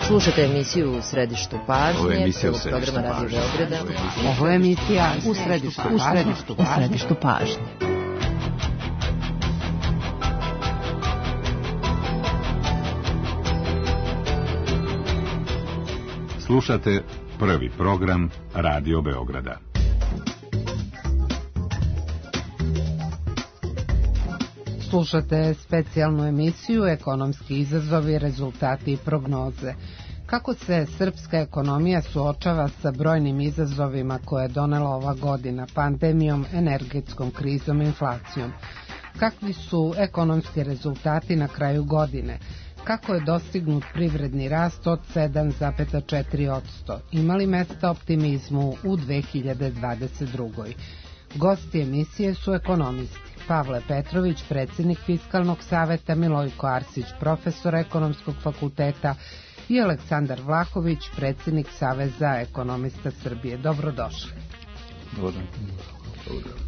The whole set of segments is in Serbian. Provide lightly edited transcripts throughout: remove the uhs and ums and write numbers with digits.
Slušate emisiju U središtu pažnje, prvog programa Radio Beograda. Ovo je emisija U središtu pažnje. Slušate prvi program Radio Beograda. Slušate specijalnu emisiju Ekonomski izazovi, rezultati i prognoze. Kako se srpska ekonomija suočava sa brojnim izazovima koje je donela ova godina, pandemijom, energetskom krizom i inflacijom? Kakvi su ekonomski rezultati na kraju godine? Kako je dostignut privredni rast od 7,4%? Ima li mesta optimizmu u 2022. Gosti emisije su ekonomisti. Pavle Petrović, predsjednik Fiskalnog saveta, Milojko Arsić, profesor Ekonomskog fakulteta i Aleksandar Vlahović, predsjednik Saveza ekonomista Srbije. Dobrodošli. Dobro.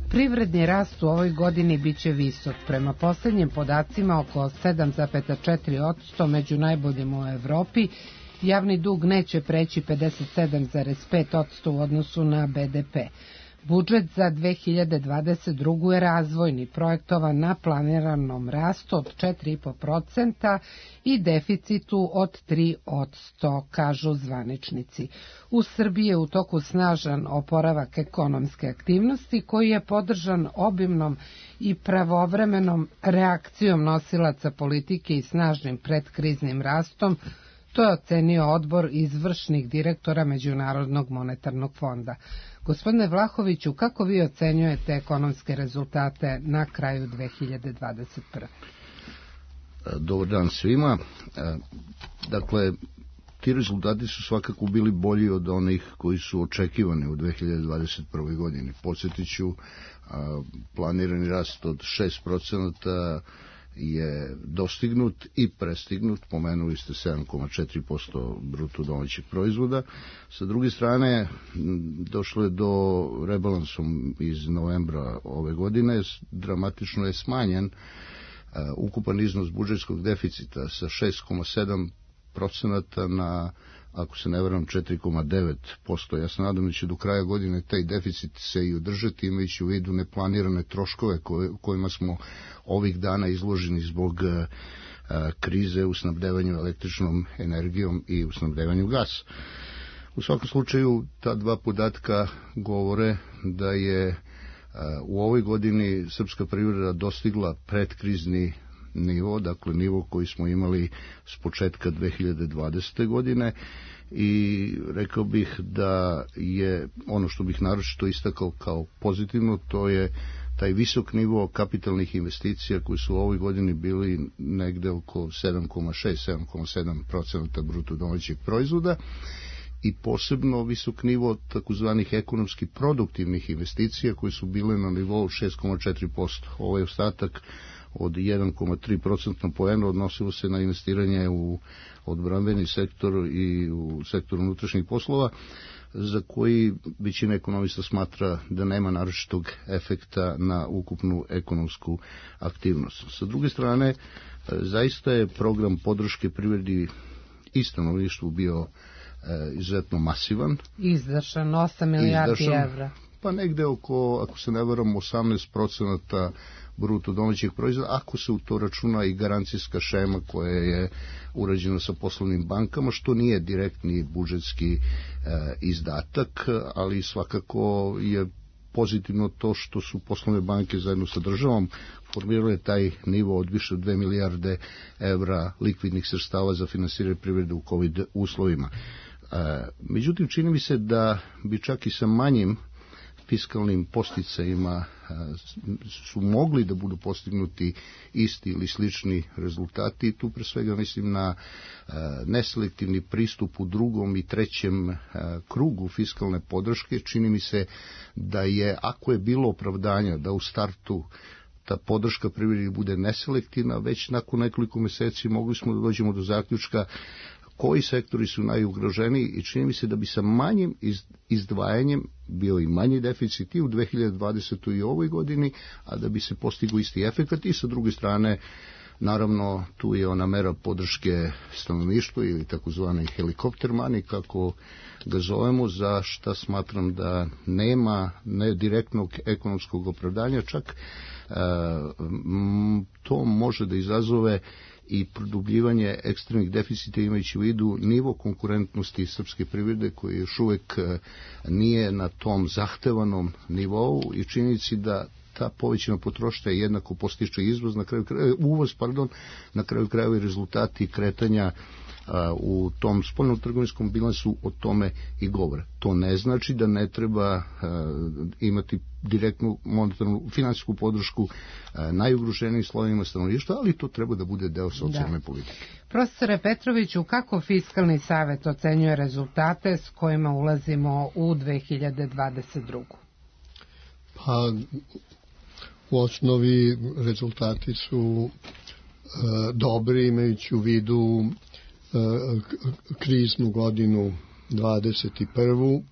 Privredni rast u ovoj godini biće visok. Prema posljednjim podacima oko 7,4%, među najboljim u Evropi. Javni dug neće preći 57,5% u odnosu na BDP. Budžet za 2022. je razvojni, projektovan na planiranom rastu od 4,5% i deficitu od 3%, kažu zvaničnici. U Srbiji je u toku snažan oporavak ekonomske aktivnosti koji je podržan obimnom i pravovremenom reakcijom nosilaca politike i snažnim predkriznim rastom. To je ocenio odbor izvršnih direktora Međunarodnog monetarnog fonda. Gospodine Vlahoviću, kako vi ocenjujete ekonomske rezultate na kraju 2021. Dobar dan svima. Dakle, ti rezultati su svakako bili bolji od onih koji su očekivani u 2021. godini. Podsjetit ću, planirani rast od 6% je dostignut i prestignut, pomenuli ste 7,4% bruto domaćeg proizvoda. Sa druge strane, došlo je do rebalansom iz novembra ove godine, dramatično je smanjen ukupan iznos budžetskog deficita sa 6,7% na, ako se ne varam, 4,9%. Ja se nadam da će do kraja godine taj deficit se i održati, imajući u vidu neplanirane troškove kojima smo ovih dana izloženi zbog krize u snabdevanju električnom energijom i u snabdevanju gasa. U svakom slučaju, ta dva podatka govore da je u ovoj godini srpska privreda dostigla predkrizni nivo, dakle nivo koji smo imali s početka 2020. godine, i rekao bih da je ono što bih naročito istakao kao pozitivno, to je taj visok nivo kapitalnih investicija koji su u ovoj godini bili negde oko 7,6-7,7% bruto domaćeg proizvoda, i posebno visok nivo takozvanih ekonomski produktivnih investicija koji su bile na nivou 6,4%. Ovaj ostatak od 1,3% poena odnosilo se na investiranje u odbrambeni sektor i u sektor unutrašnjih poslova, za koji većina ekonomista smatra da nema naročitog efekta na ukupnu ekonomsku aktivnost. Sa druge strane, zaista je program podrške privredi i stanovništvu bio izuzetno masivan. Izdašan 8 milijardi evra. Pa negde oko, ako se ne varam, 18% bruto domaćeg proizvoda, ako se u to računa i garancijska šema koja je urađena sa poslovnim bankama, što nije direktni budžetski izdatak, ali svakako je pozitivno to što su poslovne banke zajedno sa državom formirale taj nivo od više od 2 milijarde evra likvidnih sredstava za finansiranje privrede u COVID uslovima. Međutim, čini mi se da bi čak i sa manjim fiskalnim posticajima su mogli da budu postignuti isti ili slični rezultati, i tu pre svega mislim na neselektivni pristup u drugom i trećem krugu fiskalne podrške. Čini mi se da je, ako je bilo opravdanja da u startu ta podrška privredi bude neselektivna, već nakon nekoliko meseci mogli smo da dođemo do zaključka koji sektori su najugroženiji, i čini mi se da bi sa manjim izdvajanjem bio i manji deficit i u 2020. i ovoj godini, a da bi se postigao isti efekat, i sa druge strane Naravno, tu je ona mera podrške stanovništvu ili takozvani helikopter money, kako ga zovemo, za šta smatram da nema direktnog ekonomskog opravdanja, čak to može da izazove i produbljivanje ekstremnih deficita, imajući u vidu nivo konkurentnosti srpske privrede koji još uvek nije na tom zahtevanom nivou i činjenici da ta povećana potrošnja jednako postiče izvoz, uvoz, na kraju krajeva i rezultati kretanja u tom spoljnom trgovinskom bilansu o tome i govore. To ne znači da ne treba imati direktnu monetarnu finansijsku podršku najugroženijim slojevima stanovništva, ali to treba da bude deo socijalne politike. Profesore Petroviću, kako Fiskalni savet ocenjuje rezultate s kojima ulazimo u 2022. Pa, u osnovi rezultati su dobri, imajući u vidu kriznu godinu 21.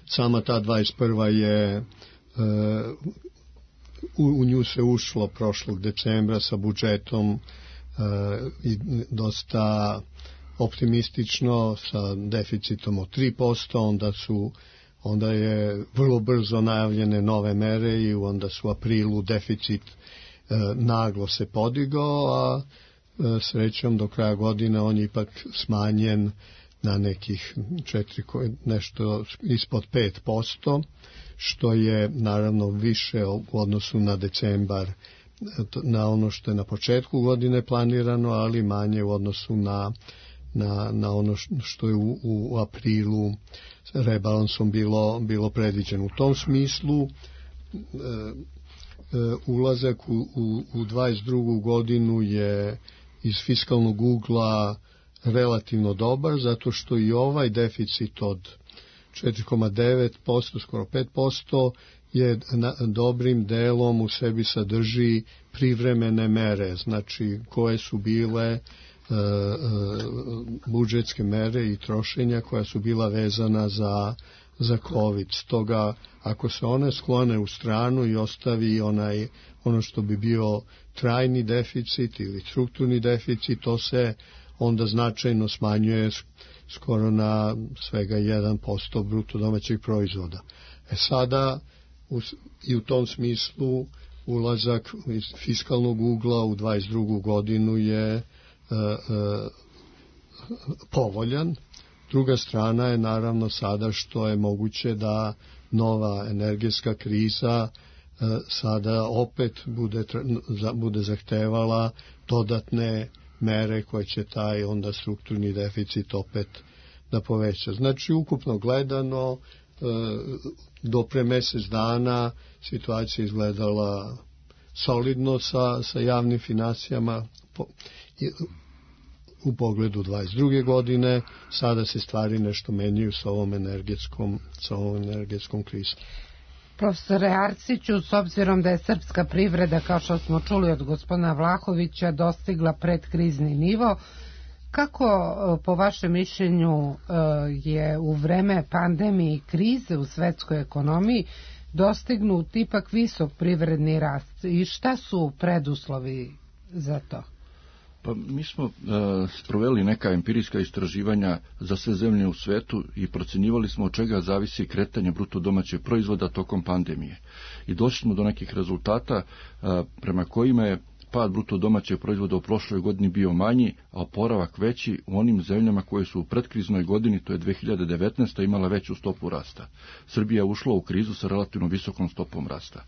Sama ta 21. je u nju se ušlo prošlog decembra sa budžetom i dosta optimistično, sa deficitom od 3%, onda je vrlo brzo najavljene nove mere i onda su u aprilu deficit naglo se podigao, a srećom do kraja godine on je ipak smanjen na nekih nešto ispod 5%, što je naravno više u odnosu na decembar, na ono što je na početku godine planirano, ali manje u odnosu na ono što je u aprilu rebalansom bilo predviđeno. U tom smislu ulazak u 22. godinu je iz fiskalnog ugla relativno dobar, zato što i ovaj deficit od 4,9%, skoro 5%, je dobrim delom u sebi sadrži privremene mere, znači koje su bile budžetske mere i trošenja koja su bila vezana za COVID. Stoga, ako se one sklone u stranu i ostavi ono što bi bio trajni deficit ili strukturni deficit, to se onda značajno smanjuje skoro na svega 1% bruto domaćeg proizvoda. Sada i u tom smislu ulazak iz fiskalnog ugla u 22. godinu je povoljan. Druga strana je naravno sada što je moguće da nova energetska kriza sada opet bude zahtevala dodatne mere koje će taj onda strukturni deficit opet da poveća. Znači, ukupno gledano, do pre mesec dana situacija izgledala solidno sa javnim finansijama u pogledu 22. godine. Sada se stvari nešto menjaju sa ovom energetskom krizom. Profesore Arsiću, s obzirom da je srpska privreda, kao što smo čuli od gospodina Vlahovića, dostigla predkrizni nivo, kako po vašem mišljenju je u vreme pandemije i krize u svetskoj ekonomiji dostignut ipak visok privredni rast i šta su preduslovi za to? Pa mi smo sproveli neka empirijska istraživanja za sve zemlje u svetu i procenjivali smo od čega zavisi kretanje bruto domaćeg proizvoda tokom pandemije. I došli smo do nekih rezultata prema kojima je pad bruto domaćeg proizvoda u prošloj godini bio manji, a oporavak veći u onim zemljama koje su u predkriznoj godini, to je 2019. imala veću stopu rasta. Srbija je ušla u krizu sa relativno visokom stopom rasta.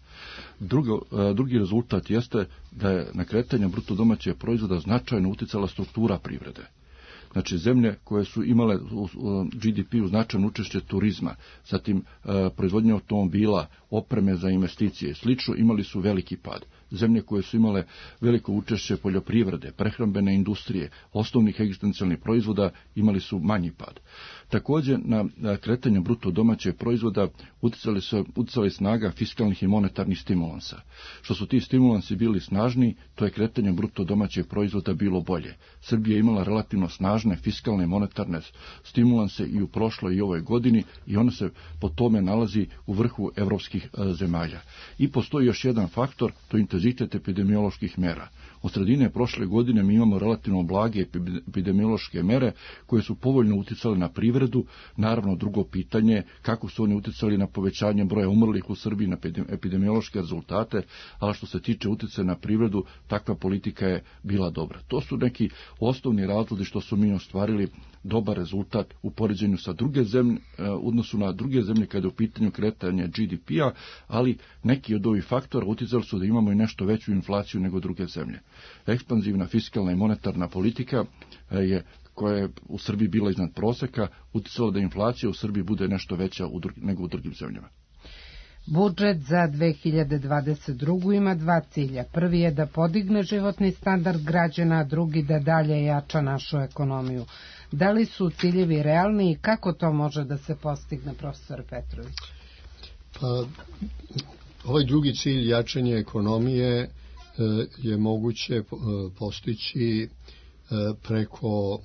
Drugi rezultat jeste da je na kretanje bruto domaćeg proizvoda značajno uticala struktura privrede. Znači, zemlje koje su imale u GDP-u značajno učešće turizma, zatim proizvodnje automobila, opreme za investicije i slično, imali su veliki pad. Zemlje koje su imale veliko učešće poljoprivrede, prehrambene industrije, osnovnih egzistencijalnih proizvoda, imali su manji pad. Također, na kretanje bruto domaćeg proizvoda uticali snaga fiskalnih i monetarnih stimulansa. Što su ti stimulansi bili snažni, to je kretanje bruto domaćeg proizvoda bilo bolje. Srbija je imala relativno snažne fiskalne i monetarne stimulanse i u prošloj i ovoj godini i ona se po tome nalazi u vrhu evropskih zemalja. I postoji još jedan faktor, to je intenzitet epidemioloških mera. Od sredine prošle godine mi imamo relativno blage epidemiološke mere koje su povoljno uticale na privredu. Naravno, drugo pitanje kako su oni uticali na povećanje broja umrlih u Srbiji, na epidemiološke rezultate, ali što se tiče uticaja na privredu, takva politika je bila dobra. To su neki osnovni razlozi što su mi ostvarili dobar rezultat u poređenju sa druge zemlje, u odnosu na druge zemlje kada je u pitanju kretanje GDP-a, ali neki od ovih faktora uticali su da imamo i nešto veću inflaciju nego druge zemlje. Ekspanzivna fiskalna i monetarna politika koja je u Srbiji bila iznad proseka, uticala da inflacija u Srbiji bude nešto veća nego u drugim zemljama. Budžet za 2022. ima dva cilja. Prvi je da podigne životni standard građana, a drugi da dalje jača našu ekonomiju. Da li su ciljevi realni i kako to može da se postigne, profesor Petrović? Pa, ovaj drugi cilj, jačanje ekonomije, je moguće postići preko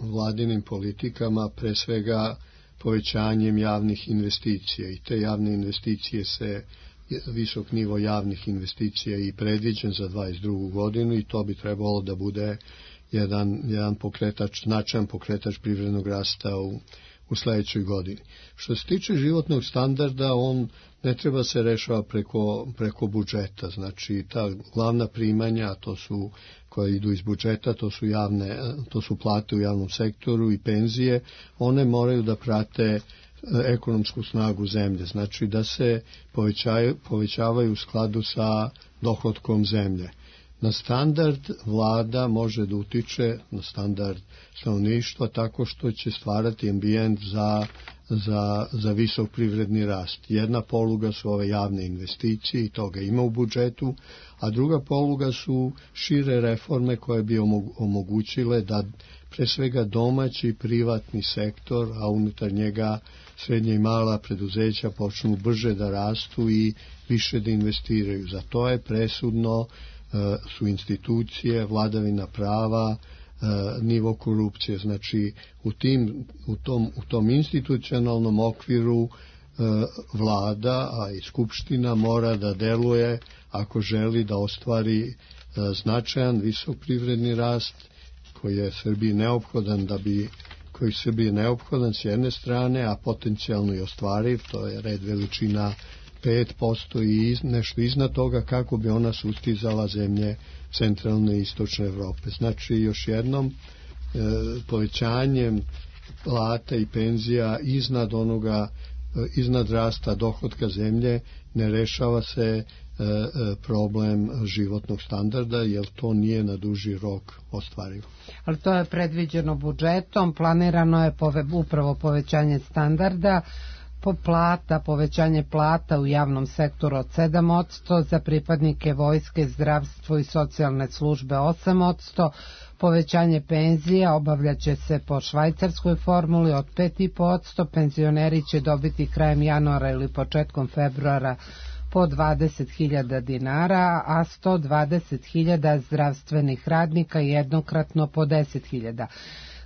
vladinim politikama, pre svega povećanjem javnih investicija, i te javne investicije visok nivo javnih investicija i predviđen za 2022. godinu i to bi trebalo da bude jedan pokretač, značajan pokretač privrednog rasta u sledećoj godini. Što se tiče životnog standarda, on ne treba se rešava preko budžeta, znači ta glavna primanja, to su koje idu iz budžeta, to su plate u javnom sektoru i penzije, one moraju da prate ekonomsku snagu zemlje, znači da se povećavaju u skladu sa dohotkom zemlje. Na standard vlada može da utiče, na standard stanovništva, tako što će stvarati ambijent za visok privredni rast. Jedna poluga su ove javne investicije i toga ima u budžetu, a druga poluga su šire reforme koje bi omogućile da pre svega domaći privatni sektor, a unutar njega srednja i mala preduzeća počnu brže da rastu i više da investiraju. Za to je presudno su institucije, vladavina prava, nivo korupcije. Znači u tom institucionalnom okviru vlada, a i skupština mora da deluje ako želi da ostvari značajan visok privredni rast koji je Srbiji neophodan s jedne strane, a potencijalno i ostvariv, to je red veličina 5% i nešto iznad toga kako bi ona sustizala zemlje centralne i istočne Evrope. Znači, još jednom, povećanjem plata i penzija iznad rasta dohotka zemlje ne rešava se problem životnog standarda, jer to nije na duži rok ostvarivo. Ali to je predviđeno budžetom, planirano je upravo povećanje standarda, povećanje plata u javnom sektoru od 7%, za pripadnike vojske, zdravstvo i socijalne službe 8%, povećanje penzija obavljaće se po švajcarskoj formuli od 5,5%, penzioneri će dobiti krajem januara ili početkom februara po 20.000 dinara, a 120.000 zdravstvenih radnika jednokratno po 10.000.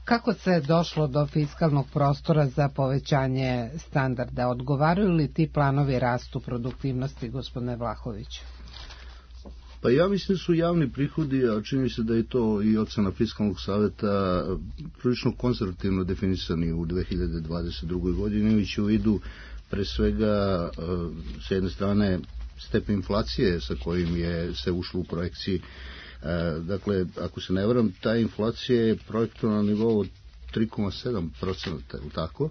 Kako se došlo do fiskalnog prostora za povećanje standarda? Odgovaraju li ti planovi rastu produktivnosti, gospodine Vlahoviću? Pa ja mislim su javni prihodi, a čini se da je to i ocena Fiskalnog saveta, prilično konzervativno definisani u 2022. godini, imajući u vidu pre svega s jedne strane stepen inflacije sa kojim se ušlo u projekciji. Dakle, ako se ne varam, ta inflacija je projektovana na nivou 3,7%, tako,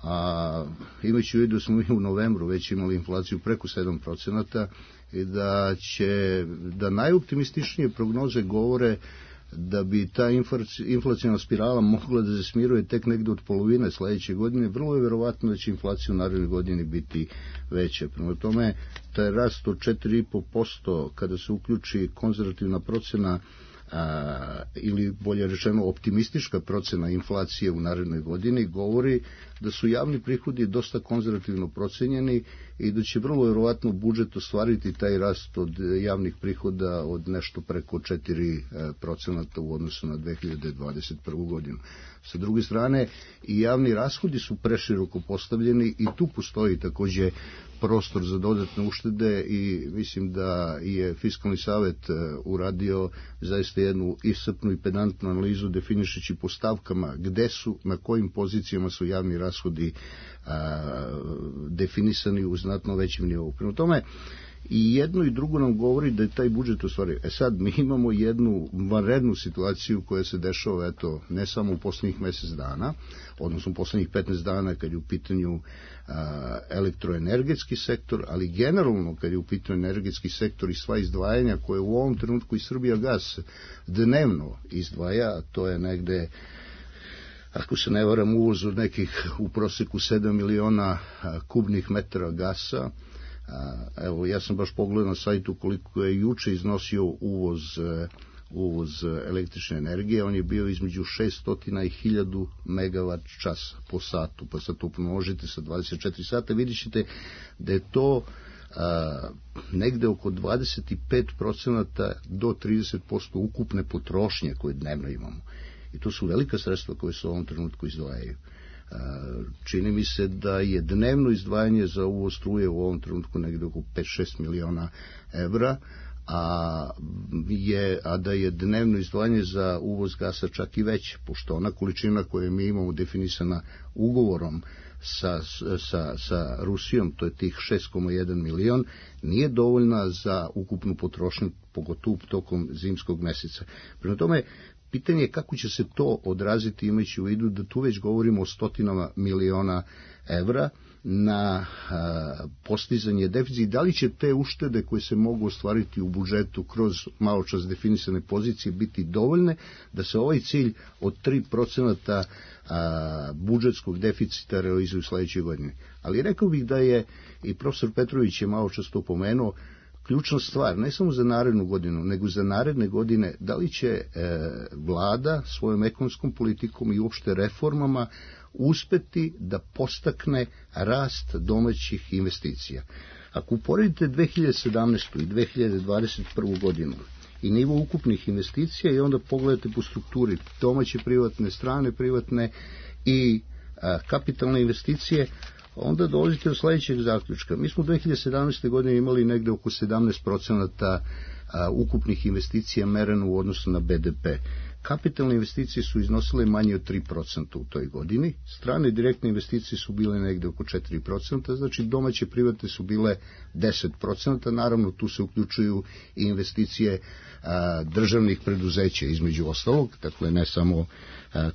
a imajući u vidu smo mi u novembru već imali inflaciju preko 7% i da najoptimističnije prognoze govore da bi ta inflacijna spirala mogla da se smiruje tek negde od polovine sledeće godine, vrlo je verovatno da će inflacija u narednoj godini biti veća. Prema tome, taj rast od 4,5% kada se uključi konzervativna procena ili bolje rečeno optimistička procena inflacije u narednoj godini govori da su javni prihodi dosta konzervativno procenjeni i da će vrlo vjerovatno budžet ostvariti taj rast od javnih prihoda od nešto preko 4% u odnosu na 2021. godinu. Sa druge strane, i javni rashodi su preširoko postavljeni i tu postoji takođe prostor za dodatne uštede i mislim da je Fiskalni savet uradio zaista jednu iscrpnu i pedantnu analizu definišući po stavkama gde su, na kojim pozicijama su javni rashodi definisani u znatno većem nivou. Prema tome, i jedno i drugo nam govori da je taj budžet ostvario. Sad, mi imamo jednu vanrednu situaciju koja se dešava, eto, ne samo u poslednjih mesec dana, odnosno u poslednjih 15 dana kad je u pitanju elektroenergetski sektor, ali generalno kad je u pitanju energetski sektor i sva izdvajanja koje u ovom trenutku i Srbijagas dnevno izdvaja, to je negde, ako se ne varam, uvoz od nekih u proseku 7 miliona kubnih metara gasa. Evo, ja sam baš pogledao na sajtu koliko je juče iznosio uvoz električne energije, on je bio između 600 i 1000 megavat časa po satu, pa sad to pomnožite sa 24 sata, vidjet ćete da je to negde oko 25% do 30% ukupne potrošnje koje dnevno imamo. I to su velika sredstva koje se u ovom trenutku izdvajaju. Čini mi se da je dnevno izdvajanje za uvoz struje u ovom trenutku negde oko 5-6 miliona evra, a da je dnevno izdvajanje za uvoz gasa čak i veće, pošto ona količina koju mi imamo definisana ugovorom sa Rusijom, to je tih 6,1 milion, nije dovoljna za ukupnu potrošnju, pogotovo tokom zimskog meseca. Prema tome, pitanje je kako će se to odraziti imajući u vidu da tu već govorimo o stotinama miliona evra na postizanje deficita. Da li će te uštede koje se mogu ostvariti u budžetu kroz malo čas definisane pozicije biti dovoljne da se ovaj cilj od 3% budžetskog deficita realizuje u sledećoj godini. Ali rekao bih da je, i profesor Petrović je malo čas to pomenuo, ključna stvar, ne samo za narednu godinu, nego za naredne godine, da li će vlada svojom ekonomskom politikom i uopšte reformama uspeti da postakne rast domaćih investicija. Ako uporedite 2017. i 2021. godinu i nivo ukupnih investicija i onda pogledate po strukturi domaće privatne, strane privatne i kapitalne investicije, onda dolazite do sledećeg zaključka. Mi smo 2017. godine imali negde oko 17% ukupnih investicija mereno u odnosu na BDP. Kapitalne investicije su iznosile manje od 3% u toj godini, strane direktne investicije su bile negde oko 4%, znači domaće privatne su bile 10%, naravno tu se uključuju i investicije državnih preduzeća između ostalog, dakle ne samo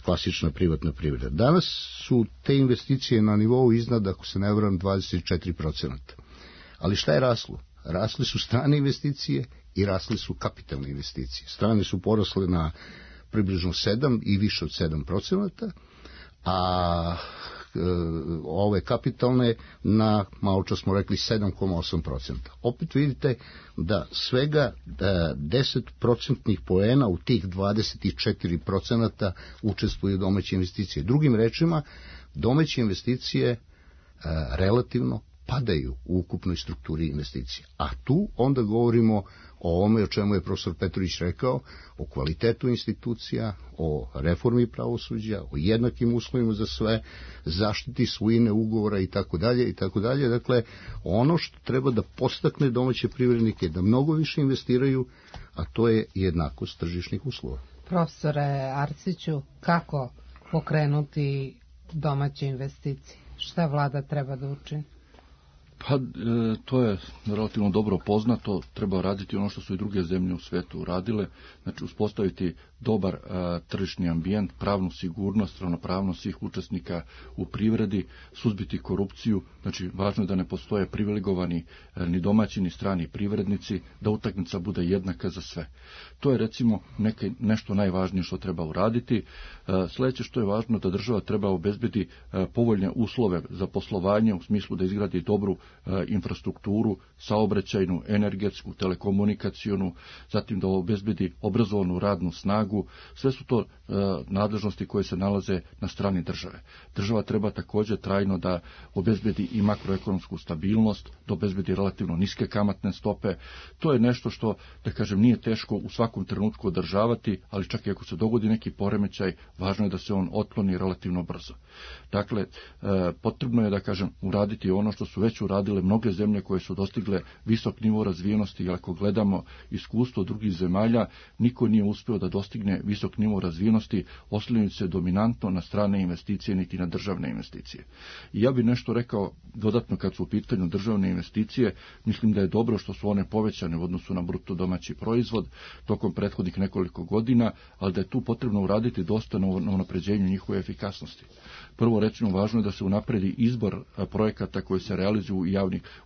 klasična privatna privreda. Danas su te investicije na nivou iznad, ako se ne varam, 24%. Ali šta je raslo? Rasle su strane investicije i rasle su kapitalne investicije. Strane su porasle na približno 7 i više od 7%, a ove kapitalne na, malo čas smo rekli, 7,8%. Opet vidite da svega 10% poena u tih 24% učestvuju domaće investicije. Drugim rečima, domaće investicije relativno padaju u ukupnoj strukturi investicija. A tu onda govorimo o ome o čemu je profesor Petrović rekao, o kvalitetu institucija, o reformi pravosuđa, o jednakim uslovima za sve, zaštiti svojine ugovora i tako dalje. Dakle, ono što treba da podstakne domaće privrednike da mnogo više investiraju, a to je jednakost tržišnih uslova. Profesore Arsiću, kako pokrenuti domaće investicije? Šta vlada treba da učini? Pa, to je relativno dobro poznato, treba raditi ono što su i druge zemlje u svetu uradile, znači uspostaviti dobar tržišni ambijent, pravnu sigurnost, ravnopravnost svih učesnika u privredi, suzbiti korupciju, znači važno je da ne postoje privilegovani ni domaći ni strani privrednici, da utakmica bude jednaka za sve. To je recimo nešto najvažnije što treba uraditi. Sledeće što je važno da država treba obezbedi povoljne uslove za poslovanje u smislu da izgradi dobru infrastrukturu, saobraćajnu, energetsku, telekomunikacionu, zatim da obezbedi obrazovanu radnu snagu. Sve su to nadležnosti koje se nalaze na strani države. Država treba također trajno da obezbedi i makroekonomsku stabilnost, da obezbedi relativno niske kamatne stope. To je nešto što, da kažem, nije teško u svakom trenutku održavati, ali čak i ako se dogodi neki poremećaj, važno je da se on otkloni relativno brzo. Dakle, potrebno je, da kažem, uraditi ono što su već uradile mnoge zemlje koje su dostigle visok nivo razvijenosti, jer ako gledamo iskustvo drugih zemalja, niko nije uspio da dostigne visok nivo razvijenosti oslanjajući se dominantno na strane investicije niti na državne investicije. I ja bih nešto rekao dodatno kad su u pitanju državne investicije. Mislim da je dobro što su one povećane u odnosu na bruto domaći proizvod tokom prethodnih nekoliko godina, ali da je tu potrebno uraditi dosta na unapređenju njihove efikasnosti. Prvo, recimo, važno je da se unapredi izbor projekata koji se realizuju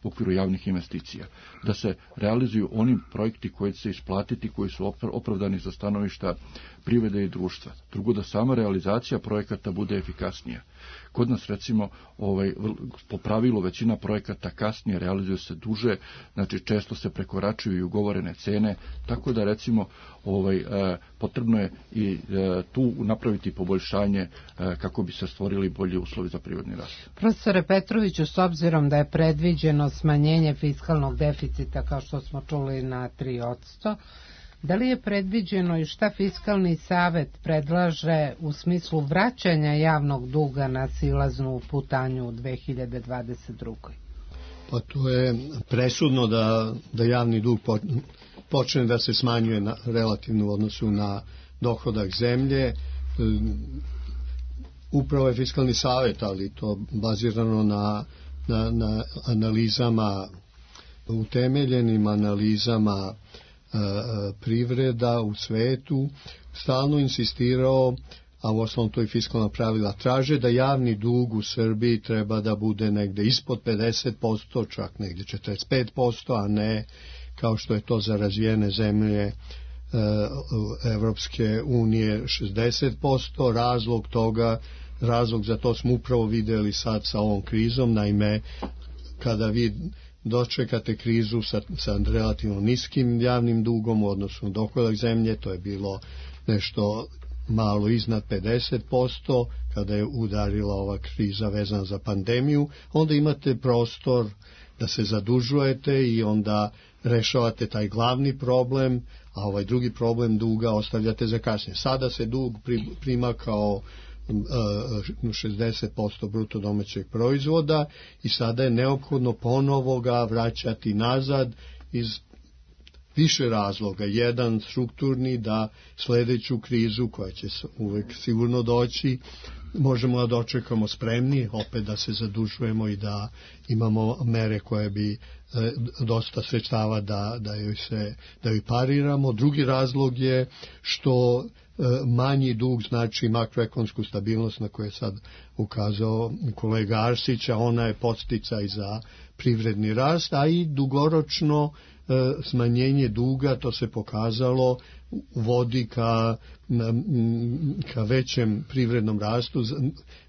u okviru javnih investicija. Da se realizuju oni projekti koji će se isplatiti, koji su opravdani za stanovišta privrede i društva. Drugo, da sama realizacija projekata bude efikasnija. Kod nas, recimo, po pravilu većina projekata kasnije realizuje se duže, znači često se prekoračuju i ugovorene cene, tako da, recimo, potrebno je i tu napraviti poboljšanje kako bi se stvorili bolji uslovi za privredni rast. Profesore Petroviću, s obzirom da je predviđeno smanjenje fiskalnog deficita, kao što smo čuli, na 3%, da li je predviđeno i šta Fiskalni savet predlaže u smislu vraćanja javnog duga na silaznu putanju u 2022. Pa to je presudno da javni dug počne da se smanjuje relativno u odnosu na dohodak zemlje. Upravo je Fiskalni savet, ali to bazirano na analizama, utemeljenim analizama privreda u svetu, stalno insistirao, a u osnovu to i fiskalna pravila traže, da javni dug u Srbiji treba da bude negde ispod 50%, čak negde 45%, a ne kao što je to za razvijene zemlje Evropske unije 60%. Razlog za to smo upravo videli sad sa ovom krizom. Naime, kada vi dočekate krizu sa relativno niskim javnim dugom u odnosu na dohodak zemlje, to je bilo nešto malo iznad 50%, kada je udarila ova kriza vezana za pandemiju, onda imate prostor da se zadužujete i onda rešavate taj glavni problem, a ovaj drugi problem duga ostavljate za kasnije. Sada se dug prima kao 60% bruto domaćeg proizvoda i sada je neophodno ponovo ga vraćati nazad iz više razloga. Jedan strukturni, da sledeću krizu koja će uvek sigurno doći možemo da dočekamo spremni, opet da se zadužujemo i da imamo mere koje bi dosta sredstava da joj pariramo. Drugi razlog je što manji dug znači makroekonomsku stabilnost na koju je sad ukazao kolega Arsić, a ona je podsticaj za privredni rast, a i dugoročno smanjenje duga, to se pokazalo, vodi ka većem privrednom rastu,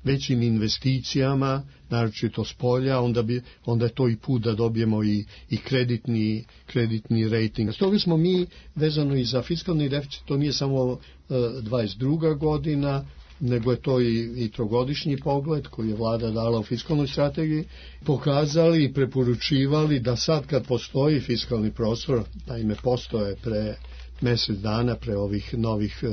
većim investicijama, naročito s polja, onda je to i put da dobijemo i kreditni rating. Stoga smo mi, vezano i za fiskalni deficit, to nije samo 22. godina, nego je to i trogodišnji pogled koji je vlada dala u fiskalnoj strategiji, pokazali i preporučivali da sad kad postoji fiskalni prostor, naime postoje pre mesec dana, pre ovih novih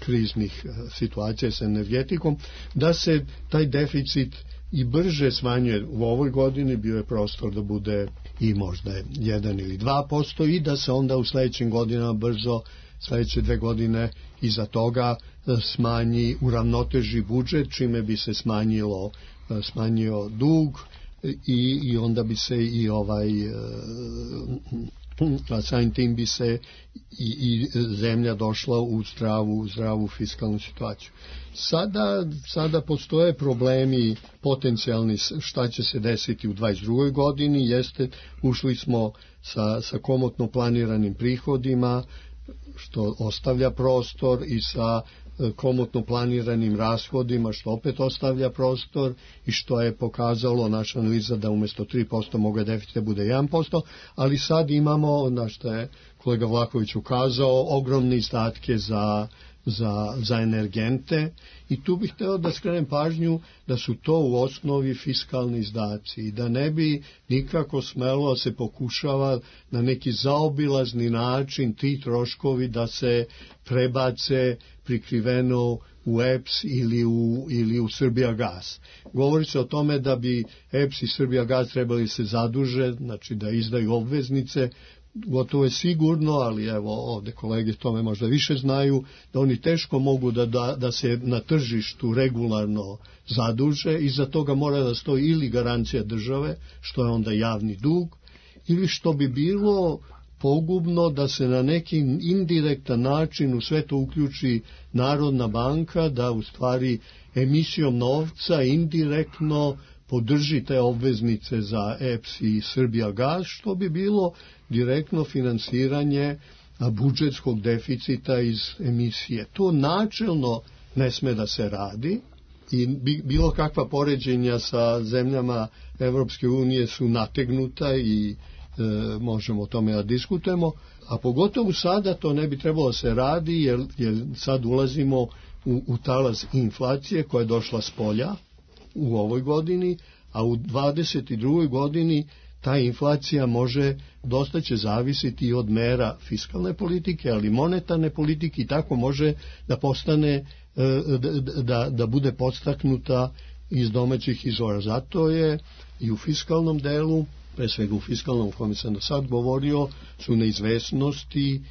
kriznih situacija sa energetikom, da se taj deficit i brže smanjuje. U ovoj godini bio je prostor da bude i možda 1 ili 2% i da se onda u sledećim godinama brzo, sledeće 2 godine iza toga smanji, uravnoteži budžet, čime bi se smanjio dug i onda bi se i samim tim bi se i zemlja došla u zdravu fiskalnu situaciju. Sada postoje problemi potencijalni šta će se desiti u 22. godini, ušli smo sa komotno planiranim prihodima, što ostavlja prostor, i sa komotno planiranim rashodima, što opet ostavlja prostor i što je pokazalo naša analiza da umjesto 3% moga deficita bude 1%, ali sad imamo, na što je kolega Vlahović ukazao, ogromne izdatke za energente i tu bih htio da skrenem pažnju da su to u osnovi fiskalni izdaci i da ne bi nikako smelo se pokušava na neki zaobilazni način ti troškovi da se prebace prikriveno u EPS ili u Srbijagas. Govori se o tome da bi EPS i Srbijagas trebali se zaduže, znači da izdaju obveznice. Gotovo je sigurno, ali evo ovdje kolege tome možda više znaju, da oni teško mogu da se na tržištu regularno zaduže i za toga mora da stoji ili garancija države, što je onda javni dug, ili što bi bilo pogubno da se na neki indirektan način u sve to uključi Narodna banka, da u stvari emisijom novca indirektno podrži te obveznice za EPS i Srbijagas, što bi bilo direktno finansiranje budžetskog deficita iz emisije. To načelno ne sme da se radi i bilo kakva poređenja sa zemljama Evropske unije su nategnuta i možemo o tome da diskutujemo, a pogotovo sada to ne bi trebalo se radi jer sad ulazimo u talas inflacije koja je došla s polja u ovoj godini, a u 22. godini ta inflacija dosta će zavisiti od mera fiskalne politike, ali monetarne politike i tako može da postane, da bude podstaknuta iz domaćih izvora. Zato je i u fiskalnom delu, pre svega u fiskalnom o kojem sam do sad govorio, su neizvesnosti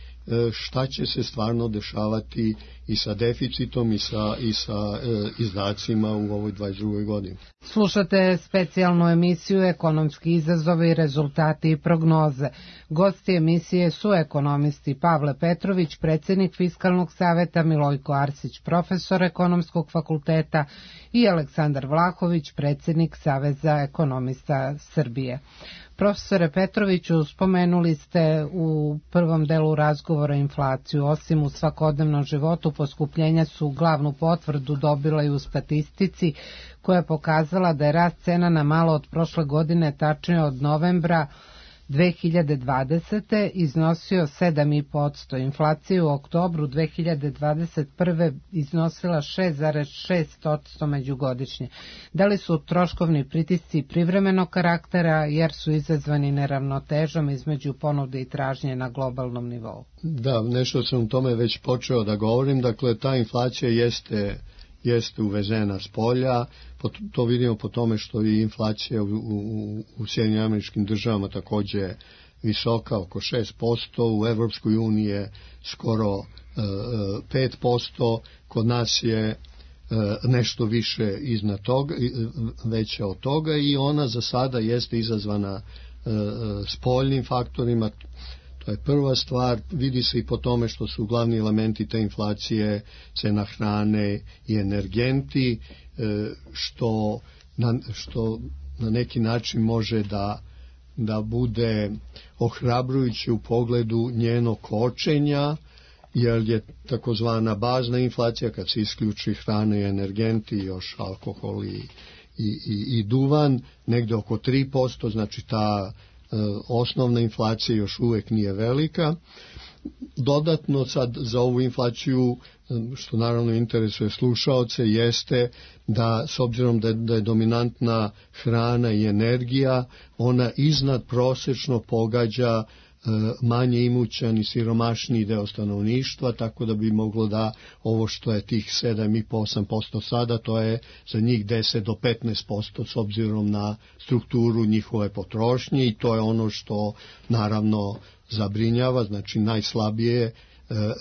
šta će se stvarno dešavati i sa deficitom i sa izdacima u ovoj 22. godini. Slušate specijalnu emisiju Ekonomski izazovi, rezultati i prognoze. Gosti emisije su ekonomisti Pavle Petrović, predsjednik Fiskalnog saveta, Milojko Arsić, profesor Ekonomskog fakulteta i Aleksandar Vlahović, predsjednik Saveza ekonomista Srbije. Profesore Petroviću, spomenuli ste u prvom delu razgovora inflaciju. Osim u svakodnevnom životu, poskupljenja su glavnu potvrdu dobila i u statistici koja je pokazala da je rast cena na malo od prošle godine, tačnije od novembra 2020. iznosio 7,5%. Inflacija u oktobru 2021. iznosila 6,6% međugodišnje. Da li su troškovni pritisci privremenog karaktera jer su izazvani neravnotežom između ponude i tražnje na globalnom nivou? Da, nešto sam o tome već počeo da govorim. Dakle, ta inflacija jeste uvezena s polja, to vidimo po tome što je inflacija u Sjedinjenim Američkim Državama također visoka, oko 6%, u Evropskoj uniji je skoro 5%, kod nas je nešto više iznad toga, veća od toga i ona za sada jeste izazvana spoljnim faktorima. To je prva stvar, vidi se i po tome što su glavni elementi te inflacije cena hrane i energenti, što na neki način može da bude ohrabrujuće u pogledu njenog kočenja, jer je takozvana bazna inflacija, kad se isključi hrana i energenti, još alkohol i duvan, negde oko 3%, znači ta osnovna inflacija još uvijek nije velika. Dodatno sad za ovu inflaciju, što naravno interesuje slušaoce, jeste da s obzirom da je dominantna hrana i energija, ona iznad prosečno pogađa manje imućan i siromašniji deo stanovništva, tako da bi moglo da ovo što je tih 7,5-8% sada, to je za njih 10 do 15% s obzirom na strukturu njihove potrošnje i to je ono što naravno zabrinjava, znači najslabije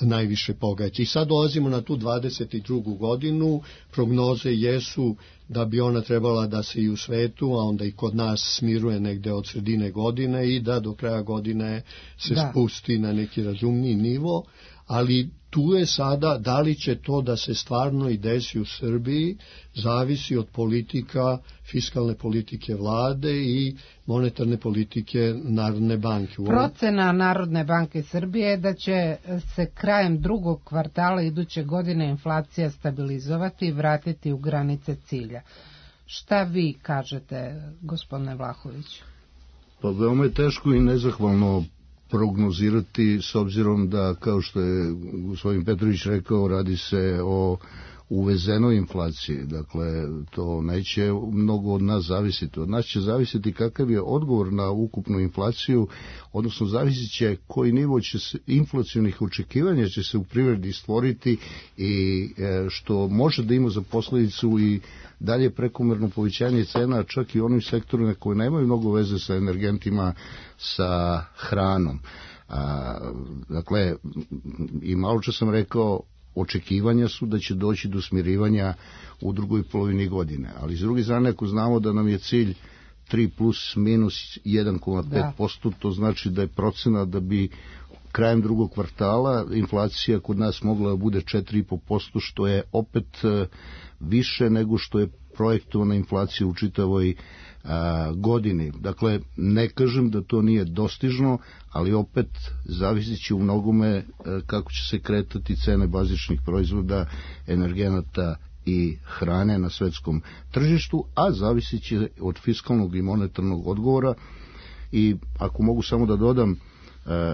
najviše pogađa. I sad dolazimo na tu 22. godinu, prognoze jesu da bi ona trebala da se i u svetu, a onda i kod nas smiruje negde od sredine godine i da do kraja godine se spusti na neki razumniji nivo, ali tu je sada, da li će to da se stvarno i desi u Srbiji, zavisi od politika, fiskalne politike vlade i monetarne politike Narodne banke. Procena Narodne banke Srbije je da će se krajem drugog kvartala iduće godine inflacija stabilizovati i vratiti u granice cilja. Šta vi kažete, gospodine Vlahović? Pa veoma je teško i nezahvalno prognozirati, s obzirom da, kao što je gospodin Petrović rekao, radi se o uvezenoj inflaciji. Dakle, to neće mnogo od nas zavisiti. Od nas će zavisiti kakav je odgovor na ukupnu inflaciju, odnosno zavisit će koji nivo će se, inflacionih očekivanja će se u privredi stvoriti i što može da ima za posledicu i dalje prekomerno povećanje cena, čak i onim sektorima koji nemaju mnogo veze sa energentima, sa hranom. Dakle, i malo čas sam rekao, očekivanja su da će doći do smirivanja u drugoj polovini godine. Ali s druge strane, ako znamo da nam je cilj 3 plus minus 1,5%, to znači da je procena da bi krajem drugog kvartala inflacija kod nas mogla da bude 4,5%, što je opet više nego što je projektovana inflacija u čitavoj godini. Dakle, ne kažem da to nije dostižno, ali opet zavisit će u mnogome kako će se kretati cene bazičnih proizvoda, energenata i hrane na svetskom tržištu, a zavisit će od fiskalnog i monetarnog odgovora. I ako mogu samo da dodam,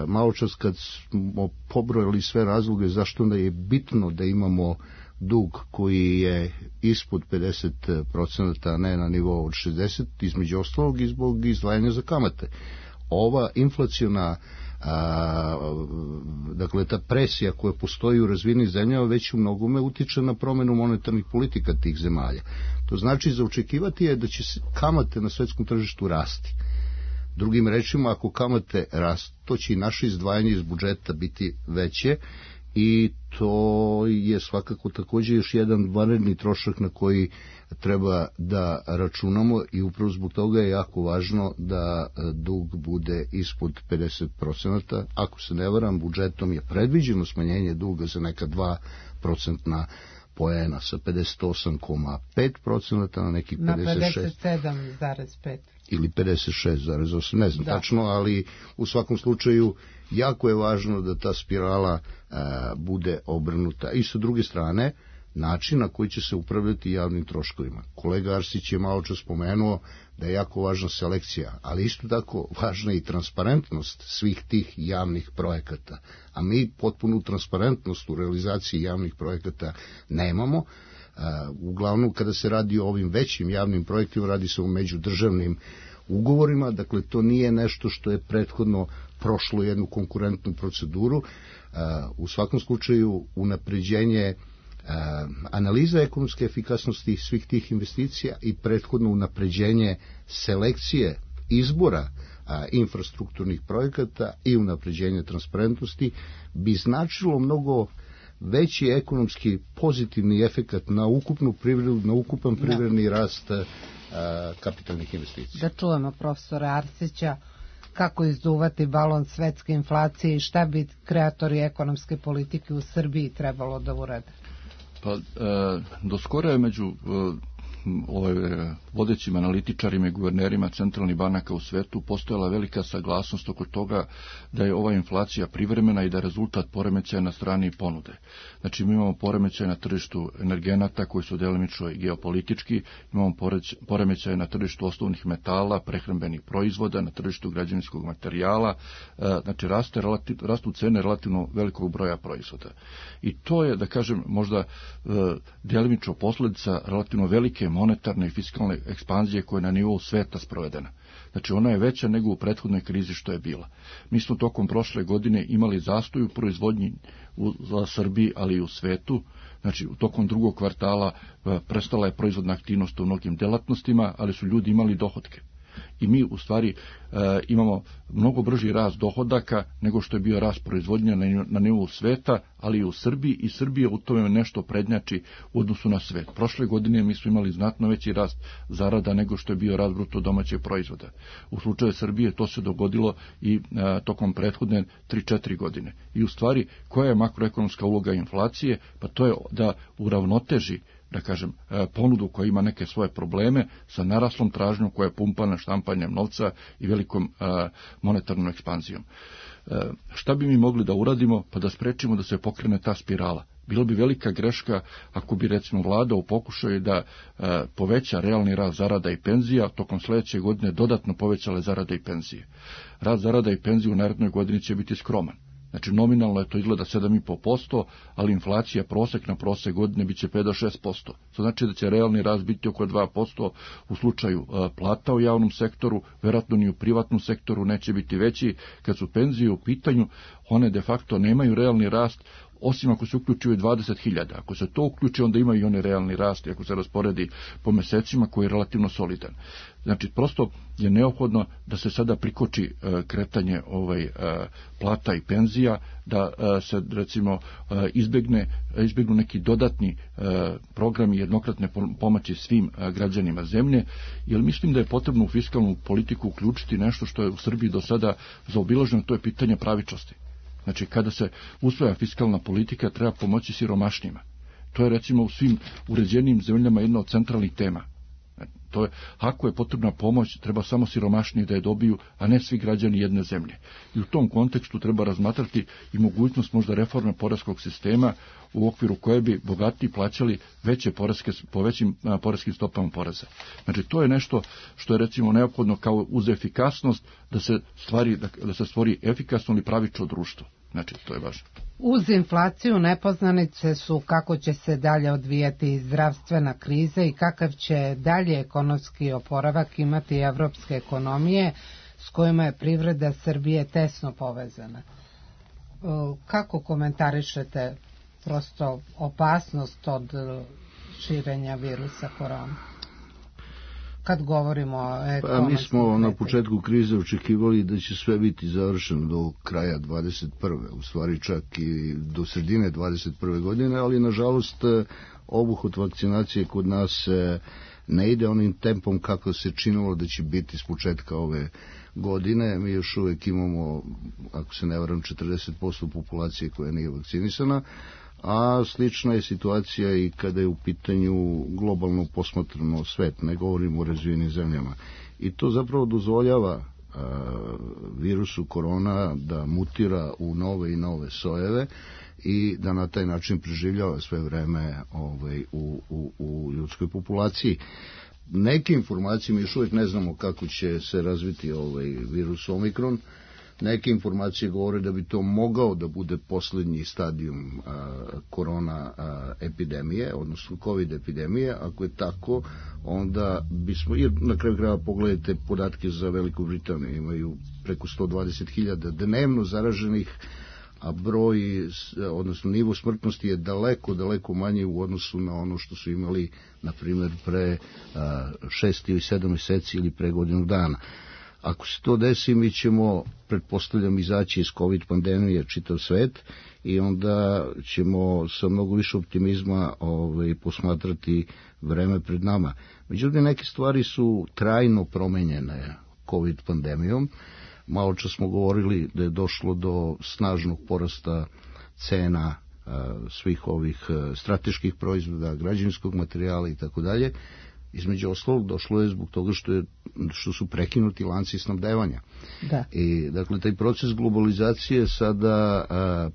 malo čas kad smo pobrojali sve razloge zašto onda je bitno da imamo dug koji je ispod 50%, a ne na nivou od 60%, između ostalog i zbog izdvajanja za kamate. Ova inflaciona, dakle ta presija koja postoji u razvijenim zemljama već u mnogome utiče na promenu monetarnih politika tih zemalja. To znači za očekivati je da će kamate na svetskom tržištu rasti. Drugim rečima, ako kamate rastu, to će i naše izdvajanje iz budžeta biti veće i to je svakako također još jedan vanredni trošak na koji treba da računamo i upravo zbog toga je jako važno da dug bude ispod 50%. Ako se ne varam, budžetom je predviđeno smanjenje duga za neka 2% poena sa 58,5% na nekih 56%. Na 57,5%. Ili 56,8%, ne znam tačno, ali u svakom slučaju jako je važno da ta spirala bude obrnuta. I sa druge strane, način na koji će se upravljati javnim troškovima. Kolega Arsić je malo čas spomenuo da je jako važna selekcija, ali isto tako važna i transparentnost svih tih javnih projekata. A mi potpunu transparentnost u realizaciji javnih projekata nemamo. Uglavnom, kada se radi o ovim većim javnim projektima, radi se o međudržavnim ugovorima, dakle to nije nešto što je prethodno prošlo jednu konkurentnu proceduru. U svakom slučaju unapređenje analiza ekonomske efikasnosti svih tih investicija i prethodno unapređenje selekcije izbora infrastrukturnih projekata i unapređenje transparentnosti bi značilo mnogo veći ekonomski pozitivni efekat na ukupnu privredu, na ukupan privredni rast kapitalnih investicija. Da čujemo profesora Arsića kako izduvati balon svetske inflacije i šta bi kreatori ekonomske politike u Srbiji trebalo da urade. Pa, do skoro je među vodećim analitičarima i guvernerima centralnih banaka u svetu postojala velika saglasnost oko toga da je ova inflacija privremena i da je rezultat poremećaja na strani ponude. Znači, mi imamo poremećaje na tržištu energenata koji su delimično i geopolitički, imamo poremećaje na tržištu osnovnih metala, prehrambenih proizvoda, na tržištu građevinskog materijala, znači rastu cene relativno velikog broja proizvoda. I to je, da kažem, možda delimično posljedica relativno velike monetarne i fiskalne ekspanzije koja je na nivou sveta sprovedena. Znači, ona je veća nego u prethodnoj krizi što je bila. Mi smo tokom prošle godine imali zastoj u proizvodnji u Srbiji, ali i u svetu. Znači, tokom drugog kvartala prestala je proizvodna aktivnost u mnogim delatnostima, ali su ljudi imali dohotke. I mi u stvari imamo mnogo brži rast dohodaka nego što je bio rast proizvodnje na nivou sveta, ali i u Srbiji, i Srbija u tome nešto prednjači u odnosu na svet. Prošle godine mi smo imali znatno veći rast zarada nego što je bio rast bruto domaćeg proizvoda. U slučaju Srbije to se dogodilo i tokom prethodne 3-4 godine. I u stvari, koja je makroekonomska uloga inflacije? Pa to je da uravnoteži, da kažem, ponudu koja ima neke svoje probleme sa naraslom tražnjom koja je pumpana štampanjem novca i velikom monetarnom ekspanzijom. Šta bi mi mogli da uradimo pa da sprečimo da se pokrene ta spirala? Bilo bi velika greška ako bi recimo vlada u pokušaju da poveća realni rast zarada i penzija, tokom sljedeće godine dodatno povećale zarade i penzije. Rast zarada i penzije u narednoj godini će biti skroman. Znači nominalno je to izgleda 7,5%, ali inflacija prosek na prosek godine biće 5 do 6%. To znači da će realni rast biti oko 2% u slučaju plata u javnom sektoru, vjerojatno ni u privatnom sektoru neće biti veći. Kad su penzije u pitanju, one de facto nemaju realni rast, osim ako se uključuju 20.000. Ako se to uključi, onda imaju i one realni rast, ako se rasporedi po mesecima, koji je relativno solidan. Znači, prosto je neophodno da se sada prikoči kretanje plata i penzija, da se, recimo, izbjegnu neki dodatni programi jednokratne pomoći svim građanima zemlje, jer mislim da je potrebno u fiskalnu politiku uključiti nešto što je u Srbiji do sada zaobilaženo, to je pitanje pravičnosti. Znači, kada se usvaja fiskalna politika, treba pomoći siromašnjima. To je, recimo, u svim uređenijim zemljama jedna od centralnih tema. To je, ako je potrebna pomoć, treba samo siromašniji da je dobiju, a ne svi građani jedne zemlje. I u tom kontekstu treba razmatrati i mogućnost možda reforme poreskog sistema, u okviru koje bi bogatiji plaćali po većim poreskim stopama poreza. Znači, to je nešto što je, recimo, neophodno kao uz efikasnost da se stvori efikasno ili pravično društvo. Znači, to je važno. Uz inflaciju nepoznanice su kako će se dalje odvijati zdravstvena kriza i kakav će dalje ekonomski oporavak imati evropske ekonomije s kojima je privreda Srbije tesno povezana. Kako komentarišete prosto opasnost od širenja virusa korona? Kad govorimo o ekonomskom... Mi smo na početku krize očekivali da će sve biti završeno do kraja 21. U stvari čak i do sredine 21. godine, ali nažalost obuhvat vakcinacije kod nas ne ide onim tempom kako se činilo da će biti s početka ove godine. Mi još uvijek imamo, ako se ne varam, 40% populacije koja nije vakcinisana, a slična je situacija i kada je u pitanju globalno posmatrano svet, ne govorimo o razvijenim zemljama. I to zapravo dozvoljava virusu korona da mutira u nove i nove sojeve i da na taj način preživljava sve vreme u ljudskoj populaciji. Neke informacije, mi još uvijek ne znamo kako će se razviti virus Omikron. Neke informacije govore da bi to mogao da bude posljednji stadijum korona epidemije, odnosno COVID epidemije. Ako je tako, onda bismo, jer na kraju krajeva pogledajte podatke za Veliku Britaniju, imaju preko 120.000 dnevno zaraženih, a broj, odnosno nivo smrtnosti je daleko manji u odnosu na ono što su imali, na primjer, pre 6 ili 7 mjeseci ili pre godinu dana. Ako se to desi, mi ćemo, pretpostavljam, izaći iz COVID pandemije čitav svet i onda ćemo sa mnogo više optimizma posmatrati vreme pred nama. Međutim, neke stvari su trajno promenjene COVID pandemijom. Malo čas smo govorili da je došlo do snažnog porasta cena svih ovih strateških proizvoda, građevinskog materijala i tako dalje. Između ostalog došlo je zbog toga što su prekinuti lanci snabdevanja. Da. I dakle taj proces globalizacije sada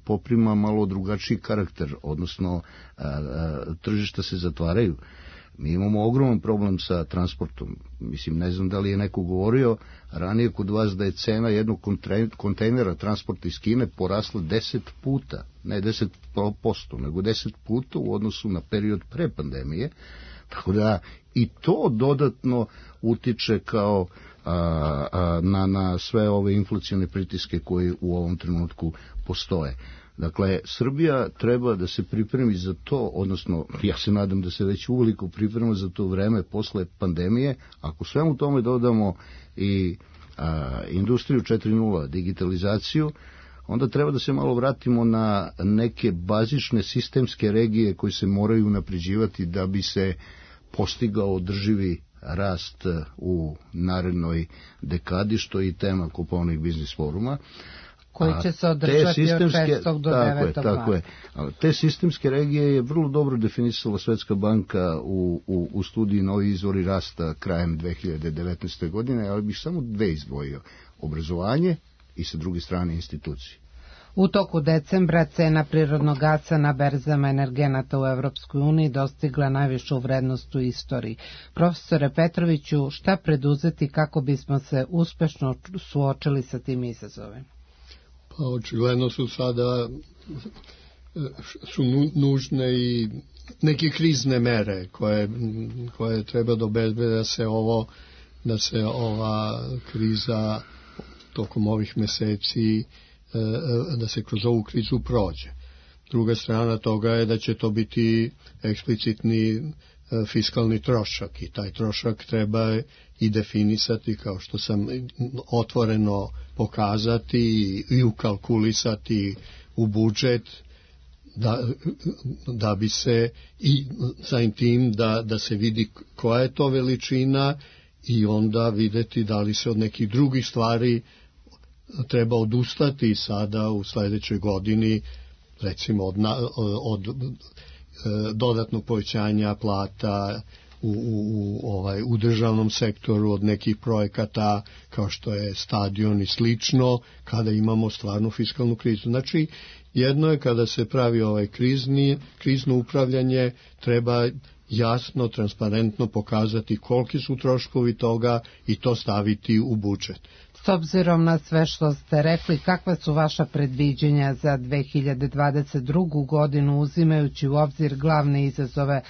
poprima malo drugačiji karakter, odnosno tržišta se zatvaraju. Mi imamo ogroman problem sa transportom. Mislim, ne znam da li je neko govorio ranije kod vas da je cena jednog kontejnera transporta iz Kine porasla 10 puta, ne 10%, nego 10 puta u odnosu na period pre pandemije. Tako da i to dodatno utiče kao na sve ove inflacione pritiske koji u ovom trenutku postoje. Dakle, Srbija treba da se pripremi za to, odnosno ja se nadam da se već uveliko priprema za to vreme posle pandemije. Ako svemu tome dodamo i industriju 4.0, digitalizaciju, onda treba da se malo vratimo na neke bazične sistemske regije koje se moraju unapređivati da bi se postigao održivi rast u narednoj dekadi, što je i tema Kopaonik biznis foruma. Koji će se održati od 6. do 9. Tako je. Te sistemske regije je vrlo dobro definisala Svetska banka u studiji Novi izvori rasta krajem 2019. godine, ali bih samo dve izdvojio. Obrazovanje i sa druge strane institucije. U toku decembra cena prirodnog gasa na berzama energenata u Evropskoj uniji dostigla najvišu vrednost u istoriji. Profesore Petroviću, šta preduzeti kako bismo se uspešno suočili sa tim izazovima? Pa očigledno su sada nužne i neke krizne mere koje treba da obezbede da se ova kriza tokom ovih meseci, da se kroz ovu krizu prođe. Druga strana toga je da će to biti eksplicitni fiskalni trošak i taj trošak treba i definisati, kao što sam otvoreno pokazati i ukalkulisati u budžet da bi se i samim tim da se vidi koja je to veličina i onda videti da li se od nekih drugih stvari treba odustati sada u sledećoj godini, recimo od dodatnog povećanja plata u državnom sektoru, od nekih projekata kao što je stadion i slično, kada imamo stvarnu fiskalnu krizu. Znači, jedno je kada se pravi krizno upravljanje, treba jasno, transparentno pokazati koliki su troškovi toga i to staviti u budžet. S obzirom na sve što ste rekli, kakva su vaša predviđenja za 2022. godinu, uzimajući u obzir glavne izazove,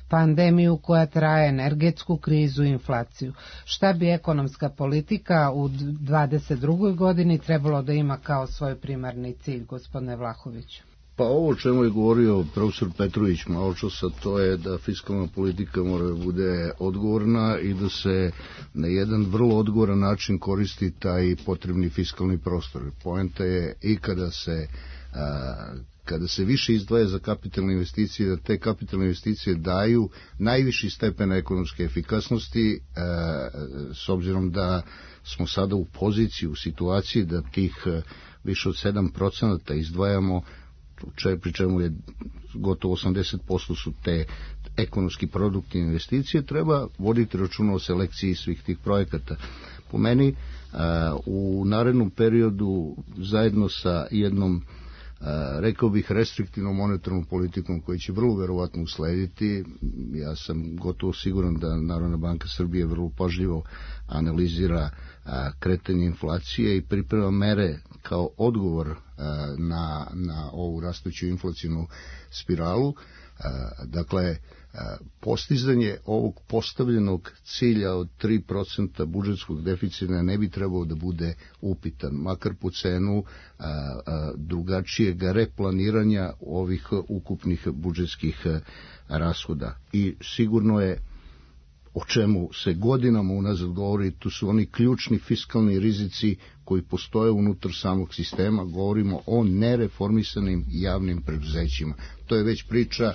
pandemiju koja traje, energetsku krizu i inflaciju? Šta bi ekonomska politika u 2022. godini trebalo da ima kao svoj primarni cilj, gospodine Vlahoviću? Pa ovo o čemu je govorio profesor Petrović malo časa, to je da fiskalna politika mora da bude odgovorna i da se na jedan vrlo odgovoran način koristi taj potrebni fiskalni prostor. Poenta je i kada se više izdvaja za kapitalne investicije, da te kapitalne investicije daju najviši stepen ekonomske efikasnosti, s obzirom da smo sada u poziciji, u situaciji da tih više od 7% izdvajamo, pri čemu je gotovo 80% su te ekonomski produkti investicije, treba voditi računa o selekciji svih tih projekata. Po meni, u narednom periodu, zajedno sa jednom, rekao bih, restriktivnom monetarnom politikom koji će vrlo verovatno uslediti, ja sam gotovo siguran da Narodna banka Srbije vrlo pažljivo analizira kretanje inflacije i priprema mere kao odgovor na ovu rastuću inflacijnu spiralu. Dakle, postizanje ovog postavljenog cilja od 3% budžetskog deficita ne bi trebao da bude upitan, makar po cenu drugačijeg replaniranja ovih ukupnih budžetskih rashoda. I sigurno je, o čemu se godinama unazad govori, tu su oni ključni fiskalni rizici koji postoje unutar samog sistema, govorimo o nereformisanim javnim preduzećima. To je već priča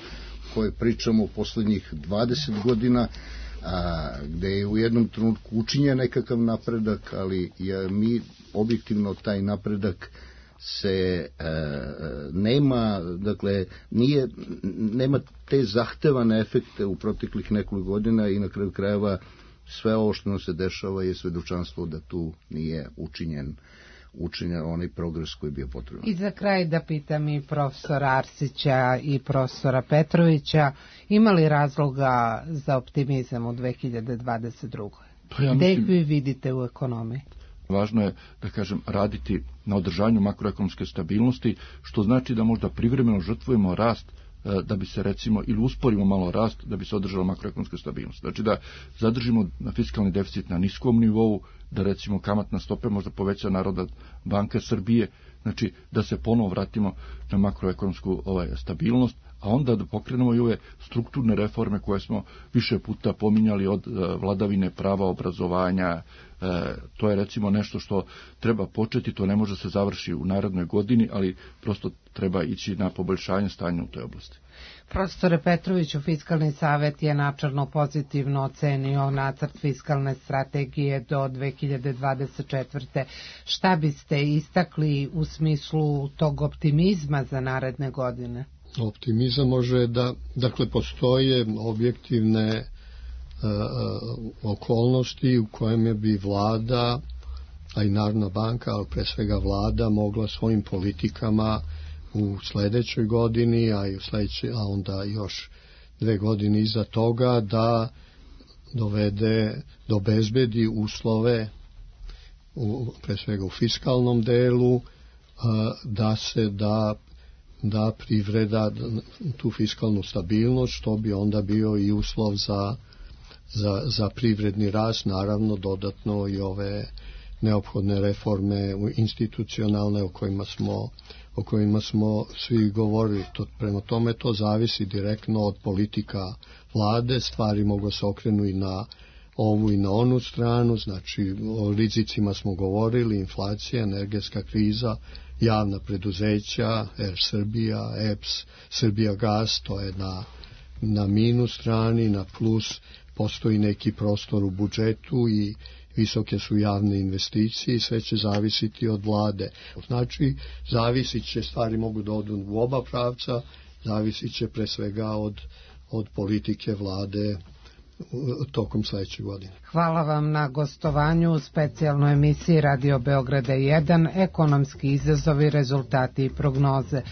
koje pričamo u poslednjih 20 godina, gde je u jednom trenutku učinjen nekakav napredak, ali mi objektivno taj napredak se nema, dakle, nema te zahtevane efekte u proteklih nekoliko godina i na kraju krajeva sve ovo što nam se dešava je svedočanstvo da tu nije učinjen onaj progres koji je bio potreban. I za kraj da pitam i profesora Arsića i profesora Petrovića, ima li razloga za optimizam u 2022. Gde ih vi vidite u ekonomiji? Važno je, da kažem, raditi na održanju makroekonomske stabilnosti, što znači da možda privremeno žrtvujemo rast da bi se, recimo, ili usporimo malo rast da bi se održala makroekonomska stabilnost. Znači da zadržimo fiskalni deficit na niskom nivou, da, recimo, kamatna stope možda poveća Narodna banka Srbije, znači da se ponovo vratimo na makroekonomsku stabilnost, a onda da pokrenemo i ove strukturne reforme koje smo više puta pominjali, od vladavine prava, obrazovanja. To je recimo nešto što treba početi, to ne može se završiti u narednoj godini, ali prosto treba ići na poboljšanje stanja u toj oblasti. Profesore Petroviću, Fiskalni savet je načelno pozitivno ocenio nacrt fiskalne strategije do 2024. Šta biste istakli u smislu tog optimizma za naredne godine? Optimizam može da, dakle, postoje objektivne okolnosti u kojem bi vlada, a i Narodna banka, ali pre svega vlada, mogla svojim politikama u sledećoj godini, a onda još 2 godine iza toga, da obezbedi uslove, pre svega u fiskalnom delu, da privreda tu fiskalnu stabilnost, što bi onda bio i uslov za privredni rast, naravno dodatno i ove neophodne reforme institucionalne o kojima smo svi govorili. Prema tome to zavisi direktno od politika vlade, stvari mogu se okrenu i na ovu i na onu stranu, znači o rizicima smo govorili, inflacija, energetska kriza, javna preduzeća, Air Srbija, EPS, Srbija Gas, to je na minus strani, na plus postoji neki prostor u budžetu i visoke su javne investicije i sve će zavisiti od vlade. Znači, zavisit će, stvari mogu da odu u oba pravca, zavisit će pre svega od politike vlade tokom sledeće godine. Hvala vam na gostovanju u specijalnoj emisiji Radio Beograda 1, ekonomski izazovi, rezultati i prognoze.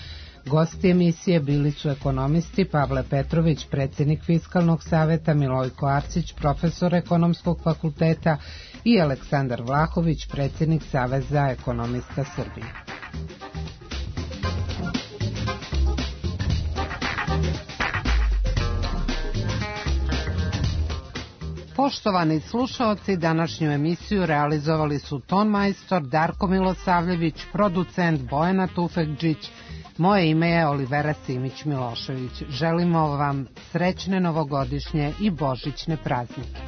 Gosti emisije bili su ekonomisti Pavle Petrović, predsjednik Fiskalnog saveta, Milojko Arsić, profesor Ekonomskog fakulteta i Aleksandar Vlahović, predsjednik Saveza ekonomista Srbije. Poštovani slušaoci, današnju emisiju realizovali su ton majstor Darko Milosavljević, producent Bojana Tufekđić. Moje ime je Olivera Simić Milošević. Želimo vam srećne novogodišnje i božićne praznike.